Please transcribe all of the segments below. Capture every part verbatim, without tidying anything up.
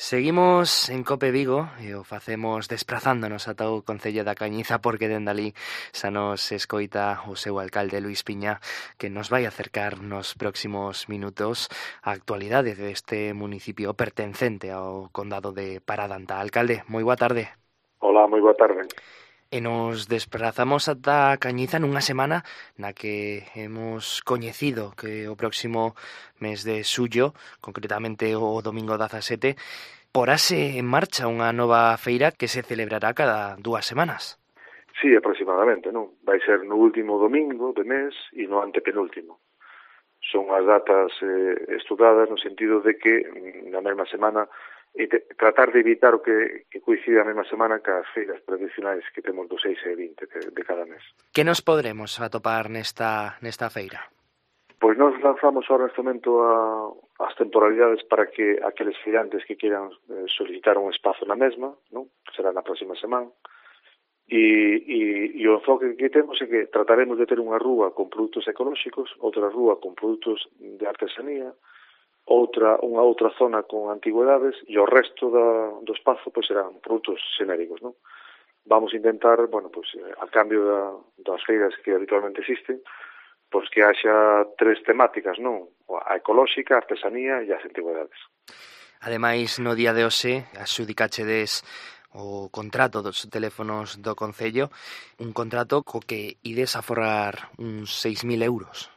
Seguimos en Cope Vigo e o facemos desprazándonos ata o Concello da Cañiza porque dende ali xa nos escoita o seu alcalde Luís Piña, que nos vai acercar nos próximos minutos a actualidade deste municipio pertencente ao condado de Paradanta. Alcalde, moi boa tarde. Hola, moi boa tarde. E nos desprazamos ata a Cañiza nunha semana na que hemos coñecido que o próximo mes de xullo, concretamente o domingo dezasete, porase en marcha unha nova feira que se celebrará cada dúas semanas. Sí, aproximadamente, non? Vai ser no último domingo de mes e no antepenúltimo. Son as datas eh, estudadas no sentido de que na mesma semana e te, tratar de evitar o que, que coincide a mesma semana que as feiras tradicionais que temos do seis e vinte de, de cada mes. Que nos podremos atopar nesta, nesta feira? Pois nós lanzamos ahora neste momento a, as temporalidades para que aqueles feirantes que queiran eh, solicitar un espazo na mesma, non? Será na próxima semana. E, e, e o enfoque que temos é que trataremos de ter unha rúa con produtos ecolóxicos, outra rúa con produtos de artesanía, outra unha outra zona con antigüedades e o resto da, do espazo pois serán produtos xenéricos, non? Vamos a intentar, bueno, pois a cambio da, das feiras que habitualmente existen, pois que haxa tres temáticas, non? A ecolóxica, a artesanía e as antigüedades. Ademais, no día de hoxe, adxudicachedes o contrato dos teléfonos do Concello, un contrato co que ides a forrar uns seis mil euros.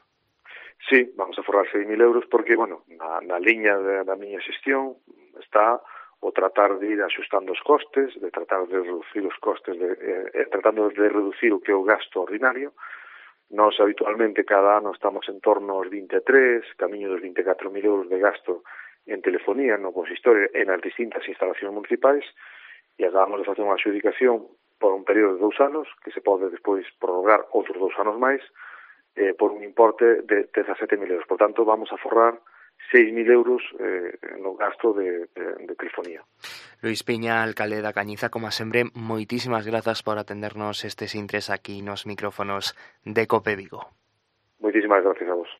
Sí, vamos a forrar seis mil euros porque, bueno, na, na liña de, da miña xestión está o tratar de ir axustando os costes, de tratar de reducir os costes, de, eh, tratando de reducir o que é o gasto ordinario. Nós habitualmente cada ano estamos en torno aos vinte e tres, camiño dos vinte e catro mil euros de gasto en telefonía no consistorio e nas distintas instalacións municipais, e acabamos de facer unha adxudicación por un período de dous anos, que se pode despois prorrogar outros dous anos máis, eh, por un importe de dezasete mil euros. Por tanto, vamos a forrar seis mil euros eh, no gasto de, de, de telefonía. Luís Piña, alcalde da Cañiza, como sempre, moitísimas grazas por atendernos estes intres aquí nos micrófonos de Cope Vigo. Moitísimas gracias a vos.